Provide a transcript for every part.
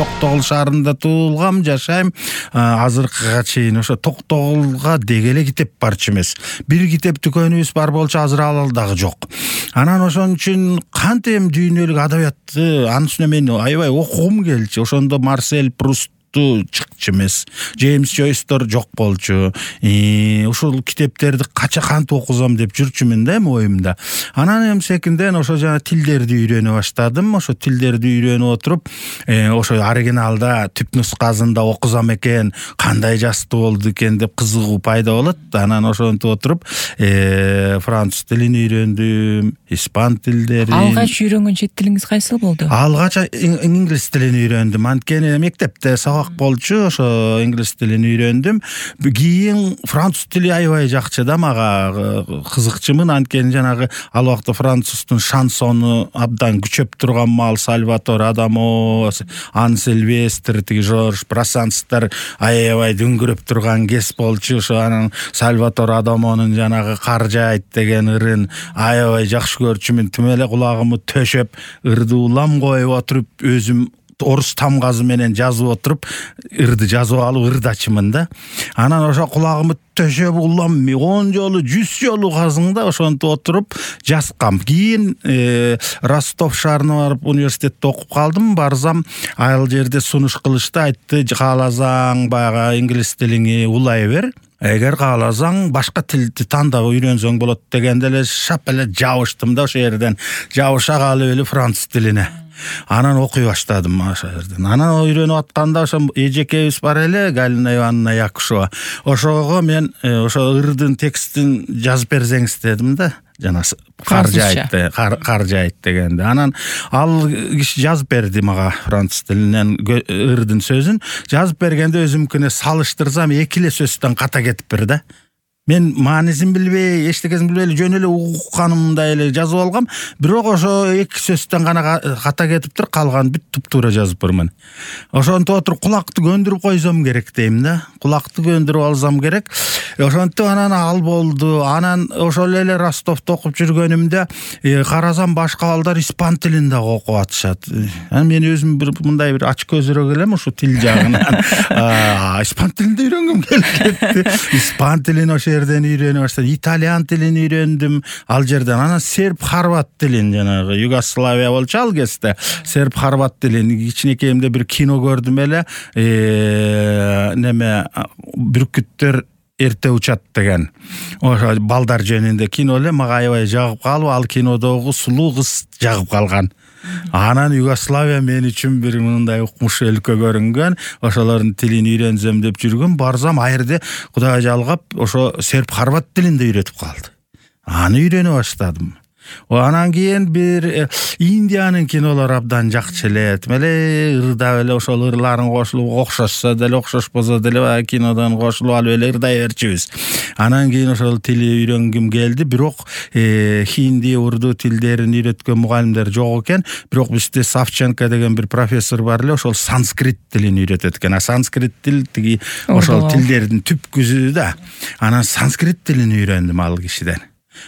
Токтогул шаарында туулгам, жашайм. Азыркыга чейин ошо Токтогулга деги эле китеп барчу эмес. Бир китеп дүкөнүбүз бар болчу, азыр ал дагы жок. Анан ошон үчүн кантем дүйнөлүк адабиятты анын үстүнө мен аябай окугум келчү. Ошондо Марсель Пруст чыкчу эмес. Джеймс Джойстер жок болчу. Ушул китептерди кача кантип окузам деп жүрчүмүн да оюмда. Анан эми секинден ошо жана тилдерди үйрөнө баштадым. Ошо тилдерди үйрөнүп отуруп, ошо оригиналда түп нускасында окузам экен, кандай жазды болду экен деп кызыгуу пайда болот. Анан ошентип отуруп, француз тилин үйрөндүм, испан тилдерин. Алгач үйрөнгөн чет тилиңиз кайсы болду? Алгач инглиз тилин үйрөндүм. Анткени мектепте болчу, ошо инглиз тилин үйрөндүм. Кийин француз тили аябай жакчы да мага, кызыкчумун. Анткени жанагы ал убакта француздун шансону абдан күчөп турган мал, Сальватор Адамо, Ан Сильвестр, тиги Жорж Брасанстар аябай дүңгүрөп турган кез болчу. Ошо анан Сальватор Адамонун жанагы Каржайт деген ырын аябай жакшы көрчүмүн. Тим эле кулагымы төшөп, ырды улам коюп отуруп, өзүм орус тамгазы менен жазып отуруп, ырды жазып алып ырдачымын да. Анан ошо кулагымы төшөп улам 10 жолу 100 жолу казыңда ошентип отуруп жазгам. Кийин Ростов шаарына барып университетте окуп калдым. Барсам ал жерде сунуш кылышты, айтты, кааласаң баягы инглиз тилиңи улай бер. Эгер кааласаң башка тилди тандап үйрөнсөң болот дегенде эле шап эле жабыштым да ошо жерден. Жабыша калып эле француз тилине. Анан окуй баштадым ошо жерден. Анан үйрөнүп атканда ошо эжекебиз бар эле, Галина Ивановна Якушева. Ошого мен ошо ырдын текстин жазып берсеңиз дедим да. Жана Каржайт дегенде. Анан ал киши жазып берди мага француз тилинен ырдын сөзүн. Жазып бергенде өзүмкүнө салыштырсам эки эле сөздөн ката кетиптир да. Мен маанисин билбей, эчтекесин билбей жөн эле укканымдай эле жазып алгам. Бирок ошо эки сөздөн гана ката кетиптир, калган бүт туптуура жазып бармын. Ошонтип отуруп кулакты көндүрүп койсом керек дейм да. Кулакты көндүрүп алсам керек. Ошонтип анан ал болду. Анан ошол эле Ростовдо окуп жүргөнүмдө карасам башка балдар испан тилин да окуп атышат. Анан мен өзүм мындай бир ач көзүрөк элем ушу тил жагынан. Испан тилин да үйрөнгөм келип кетти. Испан тилин ошо жерден үйрөнүп баштадым. Итальян тилин үйрөндүм ал жерден. Анан серб хорват тилин, жанагы Югославия болчу ал кезде. Серб хорват тилин кичинекейимде бир кино көрдүм эле. Неме бүркүттөр эрте учат деген. Ошо балдар жөнүндө кино эле, мага аябай жагып калып, ал кинодогу сулуу кыз жагып калган. Анан Югославия мен үчүн бир мындай укмуш өлкө көрүнгөн. Ошолордун тилин үйрөнсөм деп жүргөн. Барсам айырда Кудай жалгап ошо серб хорват тилинде үйрөтүп калды. Аны үйрөнүп баштадым. Анан кийин бир Индиянын кинолору абдан жакчы эле. Тим эле ырдап эле ошол ырларын кошулуп, окшошсо деле окшошпосо деле баягы кинодон кошулуп алып эле ырдай берчүбүз. Анан кийин ошол тили үйрөнгүм келди. Бирок хинди, урду тилдерин үйрөткөн мугалимдер жок экен. Бирок бизде Савченко деген бир профессор бар эле, ошол санскрит тилин үйрөтөт экен. Санскрит тил тиги ошол тилдердин түпкүсү да. Анан санскрит тилин үйрөндүм ал кишиден.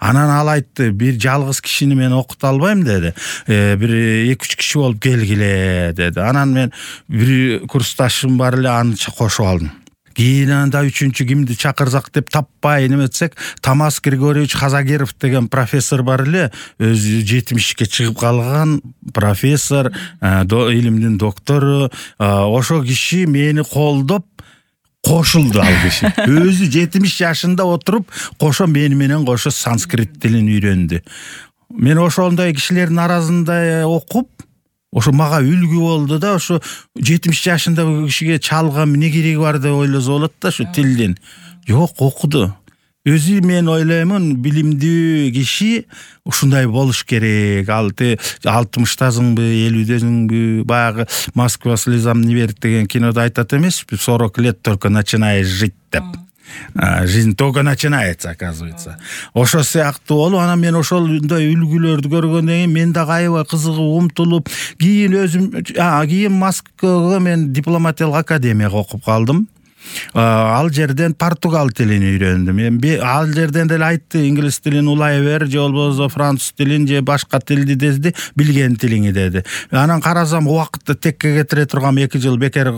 Анан ал айтты, бир жалгыз кишини мен окута албайм деди. Бир 2-3 киши болуп келгиле деди. Анан мен бир курсташым бар эле, аны кошуп алдым. Кийин анда 3-чү кимди чакырсак деп таппай неметсек, Тамас Григорьевич Хазагеров деген профессор бар эле, өзү 70-ке чыгып калган профессор, илимдин доктору. Ошо киши мени колдоп кошулду ал киши. Өзү 70 жашында отуруп, кошо мени менен кошо санскрит тилин үйрөндү. Мен ошондой кишилердин арасында окуп, ошо мага үлгү болду да, ошо 70 жашында кишиге чалган эмне кереги бар деп ойлосо болот да ошо тилдин. Жок, окуду. Өзү мен ойлоймун, билимдүү киши ушундай болуш керек. Ал 60-тасыңбы, 50-дөсүңбү, баягы Москва слезам не верит деген кинода айтат эмеспи, 40 лет только начинаешь жить деп. Жизнь только начинается, оказывается. Ошо сыяктуу болуп, анан мен ошондой үлгүлөрдү көргөндөн кийин мен дагы аябай кызыгып, умтулуп, кийин өзүм кийин Москвага мен дипломатиялык академияга окуп калдым. Ал жерден португал тилин үйрөндүм. Эми ал жерден деле айтты, инглиз тилин улай бер, же болбосо француз тилин же башка тилди дезди, билген тилиңи деди. Анан карасам убакытты текке кетире турган 2 жыл бекер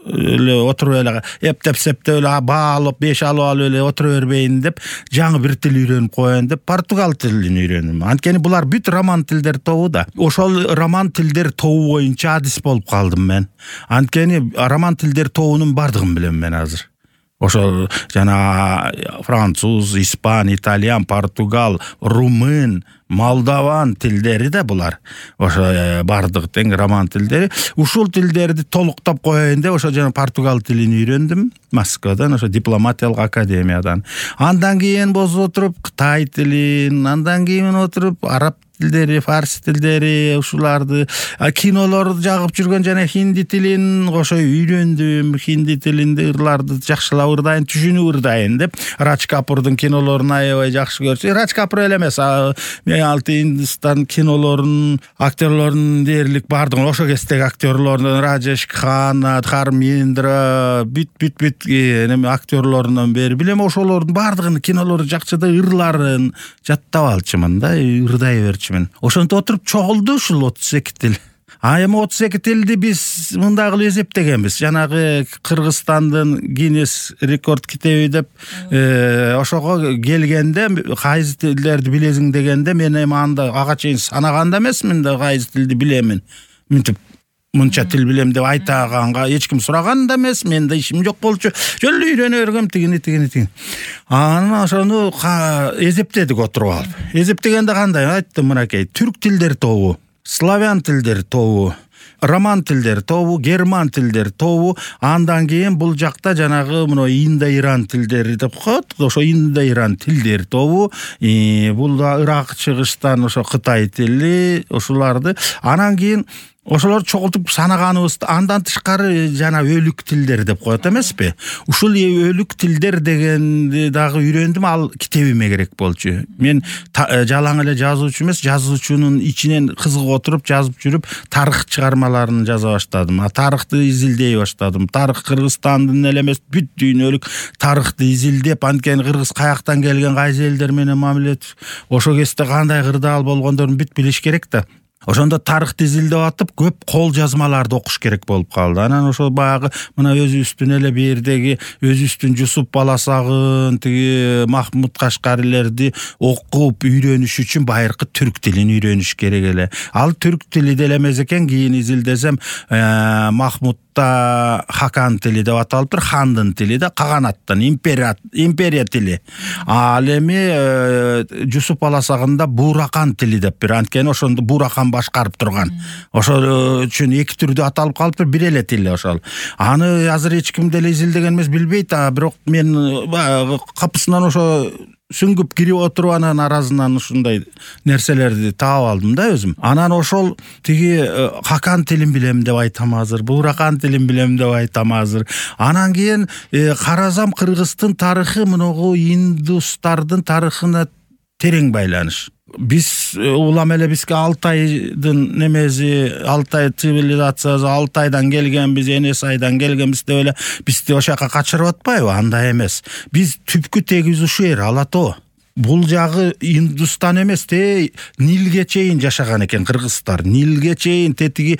эле отуруп эле эптеп септеп эле баа алып 5 алып эле отура бербейин деп жаңы бир тил үйрөнүп коеюн деп португал тилин үйрөндүм. Анткени булар бүт роман тилдер тобу да. Ошол роман тилдер тобу боюнча адис болуп калдым мен. Анткени роман тилдер тобунун бардыгын билем мен азыр. Ошол жана француз, испан, итальян, португал, румын, молдаван тилдери да булар. Ошо бардык тең роман тилдери. Ушул тилдерди толуктап коеюн деп ошо жана португал тилин үйрөндүм Москвадан, ошо дипломатиялык академиядан. Андан кийин болсо отуруп Кытай тилин, андан кийин отуруп араб тилдери, фарс тилдери, ушуларды, кинолорду жагып жүргөн жана хинди тилин кошо үйрөндүм. Хинди тилинде ырларды жакшылап ырдайын, түшүнүп ырдайын деп. Радж Капурдун кинолорун аябай жакшы көрчү. Радж Капур эле эмес, мен алты Индистан кинолорунун актерлорунун дээрлик бардыгын, ошо кездеги актерлордун Раджеш Кханна, Дхармендра, бүт эми актерлорунан бери билем, ошолордун бардыгынын кинолору жакшы да, ырларын жаттап алчумун да, ырдай берчүмүн. Ошентип отуруп чогулду ушул 32 тил. Эми 32 тилди биз мындай кылып эсептегенбиз. Жанагы Кыргызстандын Гиннес рекорд китеби деп ошого келгенде кайсы тилдерди билесиң дегенде мен эми анда ага чейин санаган да эмесмин да, кайсы тилди билемин. Мынтип мынча тил билем деп айтаганга эч ким сураган да эмес, менде ишим жок болчу. Жөн үйрөнө бергем тигини. Анан ошону эсептедик отуруп алып. Эсептегенде кандай? Айттым мынакей, түрк тилдер тобу, славян тилдер тобу, роман тилдер тобу, герман тилдер тобу, андан кийин бул жакта жанагы мына Индо-Иран тилдери деп коет. Ошо Индо-Иран тилдер тобу, бул да Ирак, Чыгыштан ошо Кытай тили, ошоларды. Анан кийин ошолор чогултуп санаганыбызды андан тышкары жана өлүк тилдер деп коет эмеспи? Ушул өлүк тилдер дегенди дагы үйрөндүм, ал китебиме керек болчу. Мен жалаң эле жазуучу эмес, жазуучунун ичинен кызыгып отуруп жазып жүрүп тарых чыгармаларын жаза баштадым. Тарыхты изилдей баштадым. Тарых Кыргызстандын эле эмес, бүт дүйнөлүк тарыхты изилдеп, анткени кыргыз каяктан келген, кайсы элдер менен мамилет, ошо кезде кандай кырдаал болгондорун бүт билиш керек да. Ошондо тарыхты изилдеп атып, көп кол жазмаларды окуш керек болуп калды. Анан ошо баягы мына өзүбүздүн эле бердеги өзүбүздүн Жусуп Баласагын, тиги Махмуд Кашкарилерди окуп үйрөнүш үчүн байыркы түрк тилин үйрөнүш керек эле. Ал түрк тили деле эмес экен, кийин изилдесем Махмуд Хакан тили деп аталыптыр, хандын тили да, каганаттын, империя тили. Ал эми Жусуп Баласагында Буракан тили деп бир, анткени ошондо Буракан башкарып турган. Ошол үчүн эки түрдө аталып калыптыр, бир эле тил ошол. Аны азыр эч ким деле изилдеген эмес, билбейт, бирок мен капысынан ошо сүңгүп кирип отуруп анан аразынан ушундай нерселерди таап алдым да өзүм. Анан ошол тиги Хакан тилин билем деп айтам азыр, Буракан тилин билем деп айтам азыр. Анан кийин карасам Кыргыздын тарыхы мыногу индустардын тарыхына терең байланыш. Биз улам эле бизге Алтайдын немеси, Алтай цивилизациясы, Алтайдан келгенбиз, Энес айдан келгенбиз деп эле бизди ошо жака качырып атпайбы? Андай эмес. Биз түпкү тегиз ушул жер, Алатоо. Бул жагы Индустан эмес, Нилге чейин жашаган экен кыргыздар. Нилге чейин тетиги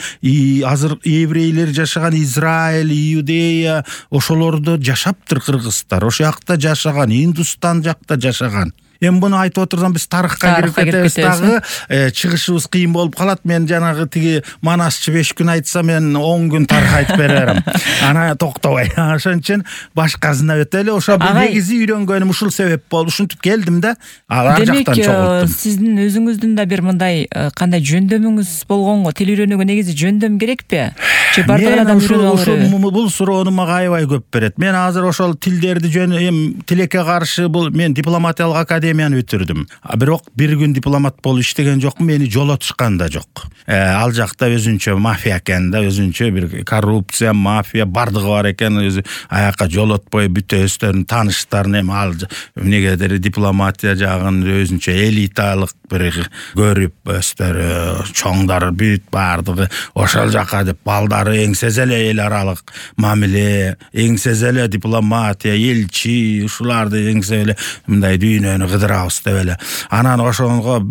азыр еврейлер жашаган Израиль, Иудея, ошолордо жашаптыр кыргыздар. Ошол жакта жашаган, Индустан жакта жашаган. Эми буну айтып отурсам биз тарыхка кирип кетебиз дагы, чыгышыбыз кыйын болуп калат. Мен жанагы тиги Манасчы 5 күн айтса, мен 10 күн тарых айтып берерим. Ана токтобой. Ошон үчүн башкасына өтөлү. Ошо негизи үйрөнгөнүм ушул себеп болду. Ушинтип келдим да. Ар жактан чогулттум. Демек, сиздин өзүңүздүн да бир мындай кандай жөндөмүңүз болгонго, тил үйрөнүүгө негизи жөндөм керекпи? Же бардыгынан үйрөнүп алып береби? Бул суроону мага аябай көп берет. Мен азыр ошол тилдерди тилекке каршы бул мен дипломатиялык академияны бүтүрдүм. Бирок бир күн дипломат болуп иштеген жокмун, мени жолотушкан да жок. Ал жакта өзүнчө мафия экен да, өзүнчө бир коррупция, мафия бардыгы бар экен. Өзү аяка жолотпой бүт өздөрүнүн тааныштарын эми ал эмнегедир дипломатия жагын өзүнчө элиталык бир көрүп, өздөрү чоңдар бүт бардыгы ошол жака деп балдары ыкмалары, эңсез эле эл аралык мамиле, эңсез эле дипломатия, элчи, ушуларды эңсеп эле мындай дүйнөнү кыдырабыз деп эле. Анан ошонго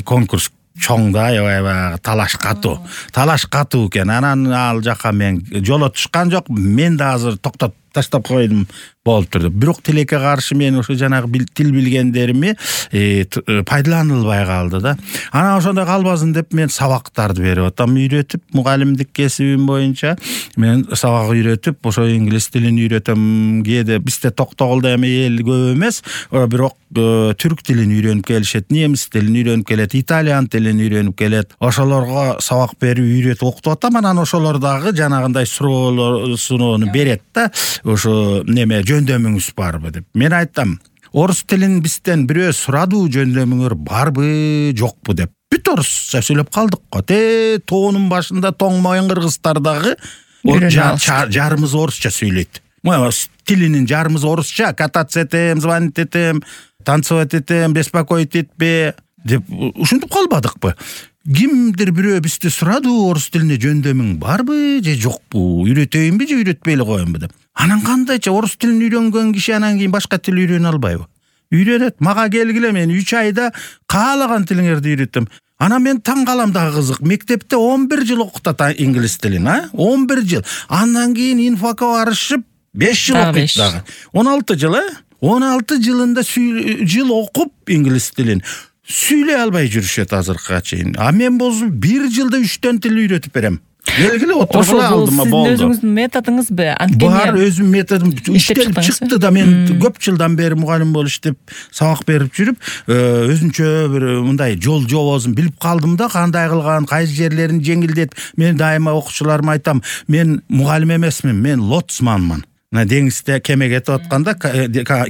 конкурс чоң да, аябай талаш катуу экен. Анан ал жака мен жоло түшкан жок, мен да азыр токтоп таштап койдум болуп турду. Бирок тилекке каршы мен ошо жанагы тил билгендерими пайдаланылбай калды да. Анан ошондой калбасын деп мен сабактарды берип атам, үйрөтүп, мугалимдик кесибим боюнча мен сабак үйрөтүп, ошо инглиз тилин үйрөтөм. Кээде бизде Токтогулда эми эл көп эмес, бирок түрк тилин үйрөнүп келишет, немис тилин үйрөнүп келет, итальян тилин үйрөнүп келет. Ошолорго сабак берип, үйрөтүп окутуп атам. Анан ошолор дагы жанагындай суроону берет да. Ошо неме жөндөмүңүз барбы деп. Мен айтам, орус тилин бизден бирөө сурадуу, жөндөмүңөр барбы, жокпу деп. Бүт орусча сүйлөп калдык го. Тоонун башында тоң моюн кыргыздар дагы жарымыз орусча сүйлөйт. Тилинин жарымыз орусча, кататься этем, звонить этем, танцевать этем, беспокоить этпе деп ушинтип калбадыкпы? Кимдир бирөө бизди сурадуу, орус тилине жөндөмүң барбы же жокпу? Үйрөтөйүнбү же үйрөтпөй эле коеюнбу деп. Анан кандайча орус тилин үйрөнгөн киши анан кийин башка тил үйрөнө албайбы? Үйрөнөт. Мага келгиле, мен 3 айда каалаган тилиңерди үйрөтөм. Анан мен таң калам дагы кызык. Мектепте 11 жыл окутат инглиз тилин, 11 жыл. Андан кийин инфакка барышып 5 жыл окуйт дагы. 16 жыл, 16 жылында жыл окуп инглиз тилин сүйлөй албай жүрүшөт азыркыга чейин. А мен болсо 1 жылда 3 тил үйрөтүп берем. Келгиле отургула алдыма болду. Сиздин өзүңүздүн методуңузбу? Бар, өзүм методум иштелип чыкты да. Мен көп жылдан бери мугалим болуп иштеп, сабак берип жүрүп, өзүнчө бир мындай жол жобосун билип калдым да, кандай кылган, кайсы жерлерин жеңилдетип. Мен дайыма окуучуларыма айтам, мен мугалим эмесмин, мен лоцманмын. Деңизде кеме кетип атканда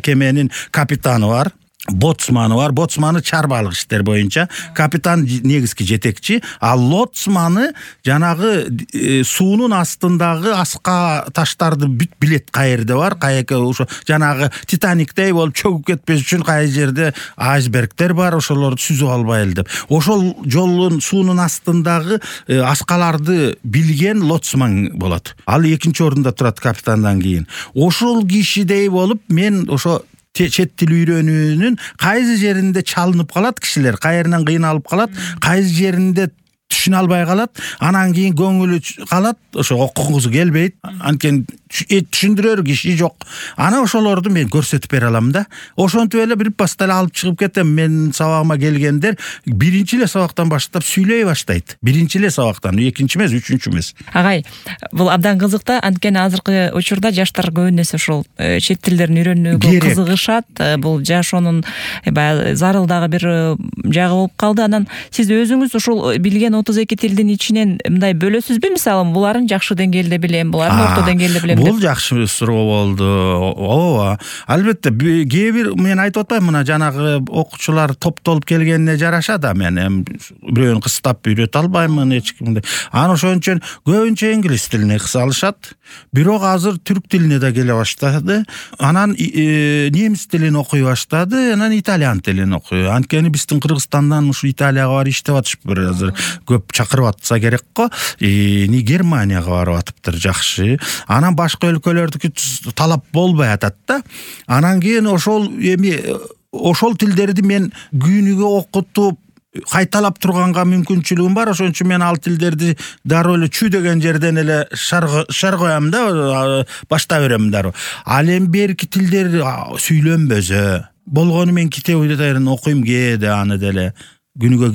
кеменин капитаны бар, боцманы бар. Боцманы чарбалык иштер боюнча, капитан негизги жетекчи, а лоцманы жанагы суунун астындагы аска таштарды бүт билет, каерде бар, каяка ошо жанагы Титаниктей болуп чөгүп кетпеш үчүн кай жерде айсбергдер бар, ошолорду сүзүп албайлы деп. Ошол жолдун суунун астындагы аскаларды билген лоцман болот. Ал экинчи орунда турат капитандан кийин. Ошол кишидей болуп мен ошо чет тил үйрөнүүнүн кайсы жеринде чалынып калат кишилер, кайеринен кыйналып калат, кайсы жеринде түшүнө албай калат, анан кийин көңүлү калат, ошо окугусу келбейт, анткени түшүндүрөр киши жок. Ана ошолорду мен көрсөтүп бере алам да. Ошентип эле бир паста эле алып чыгып кетем. Мен сабагыма келгендер биринчи эле сабактан баштап сүйлөй баштайт. Биринчи эле сабактан, экинчи эмес, үчүнчү эмес. Агай, бул абдан кызык да, анткени азыркы учурда жаштар көбүнесе ушул чет тилдерин үйрөнүүгө кызыгышат. Бул жашоонун зарыл дагы бир жагы болуп калды. Анан сиз өзүңүз ушул билген 32 тилдин ичинен мындай бөлөсүзбү? Мисалы, буларын жакшы деңгээлде билем, буларын орто деңгээлде билем. Бул жакшы суроо болду. Ооба. Албетте, кээ бир мен айтып атпайм, мына жанагы окуучулар топтолуп келгенине жараша да мен бирөөнү кыстап үйрөтө албаймын эч кимди. Аны ошон үчүн көбүнчө инглиз тилине кысалышат. Бирок азыр түрк тилине да келе баштады. Анан немис тилин окуй баштады, анан итальян тилин окуй. Анткени биздин Кыргызстандан ушу Италияга барып иштеп атышпыр азыр. Көп чакырып атса керек го. Германияга барып атыптыр, жакшы. Анан башка өлкөлөрдүкү талап болбой атат да. Анан кийин ошол тилдерди мен күнүгө окутуп кайталап турганга мүмкүнчүлүгүм бар. Ошон үчүн мен ал тилдерди дароо эле чү деген жерден эле шар коям да, башта берем дароо. Ал эми берки тилдер сүйлөнбөсө болгону мен китебин окуйм, кээде аны деле күнүгө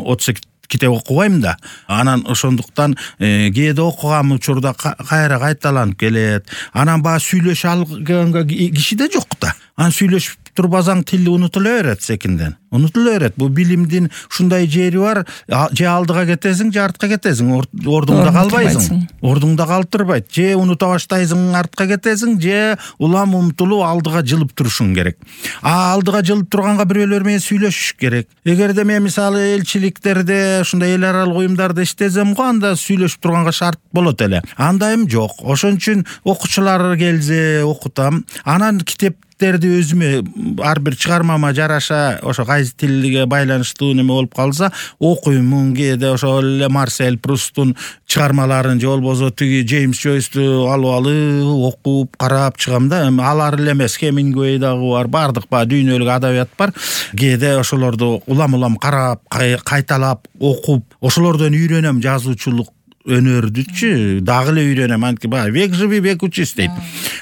32 китеп окубайм да. Анан ошондуктан кээде окуган учурда кайра кайталанып келет. Анан баягы сүйлөшө алган киши да жок да. Анан сүйлөшүп турбасаң тил унутула берет секинден. Унутула берет. Бул билимдин ушундай жери бар. Же алдыга кетесиң, же артка кетесиң. Ордуңда калбайсың. Ордуңда калып турбайт. Же унута баштайсың, артка кетесиң, же улам умтулуп алдыга жылып турушуң керек. Алдыга жылып турганга бирөөлөр менен сүйлөшүш керек. Эгерде мен мисалы элчиликтерде, ушундай эл аралык уюмдарда иштесем го, анда сүйлөшүп турганга шарт болот эле. Андайым жок. Ошон үчүн окуучулар келсе окутам. Анан китеп тилдерди өзүмө ар бир чыгармама жараша ошо кайсы тилге байланыштуу неме болуп калса окуймун. Кээде ошо эле Марсель Прустун чыгармаларын же болбосо тиги Джеймс Джойсту алып окуп карап чыгам да. Алар эле эмес, Хемингуэй дагы бар, бардык дүйнөлүк адабият бар. Кээде ошолорду улам карап, кайталап окуп, ошолордон үйрөнөм жазуучулук өнөрдүчү, дагы эле үйрөнөм. Анткени баягы век живи, век учись дейт.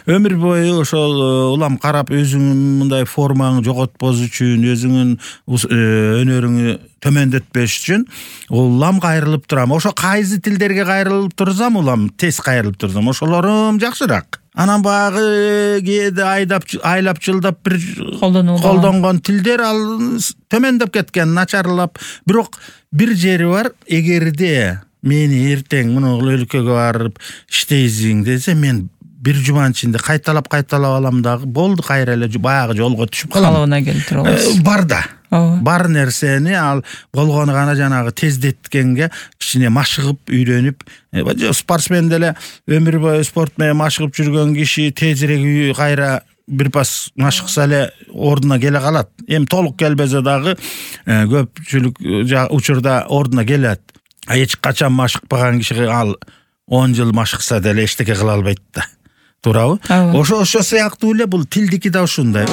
Өмүр бою ошол улам карап өзүңүн мындай формаңы жоготпош үчүн, өзүңүн өнөрүңү төмөндөтпөш үчүн улам кайрылып турам. Ошо кайсы тилдерге кайрылып турсам, улам тез кайрылып турсам, ошолорум жакшыраак. Анан багы кээде айлап жылдап бир колдонгон тилдер ал төмөндөп кеткен, начарлап. Бирок бир жери бар, эгерде мени эртең муну өлкөгө барып иштейсиң десе, мен бир жуманын ичинде кайталап алам дагы, болду, кайра эле баягы жолго түшүп калам. Калыбына келтирип аласыз. Бар да. Бар нерсени ал болгону гана жанагы тездеткенге кичине машыгып үйрөнүп, спортсмен деле өмүр бою спорт менен машыгып жүргөн киши тезирээк кайра бир пас машыкса эле ордуна келе калат. Эми толук келбесе дагы көпчүлүк учурда ордуна келет. Эч качан машыкпаган кишиге ал 10 жыл машыкса деле эчтеке кыла албайт да. Туурабы? Ошо сыяктуу эле бул тилдики да ушундай.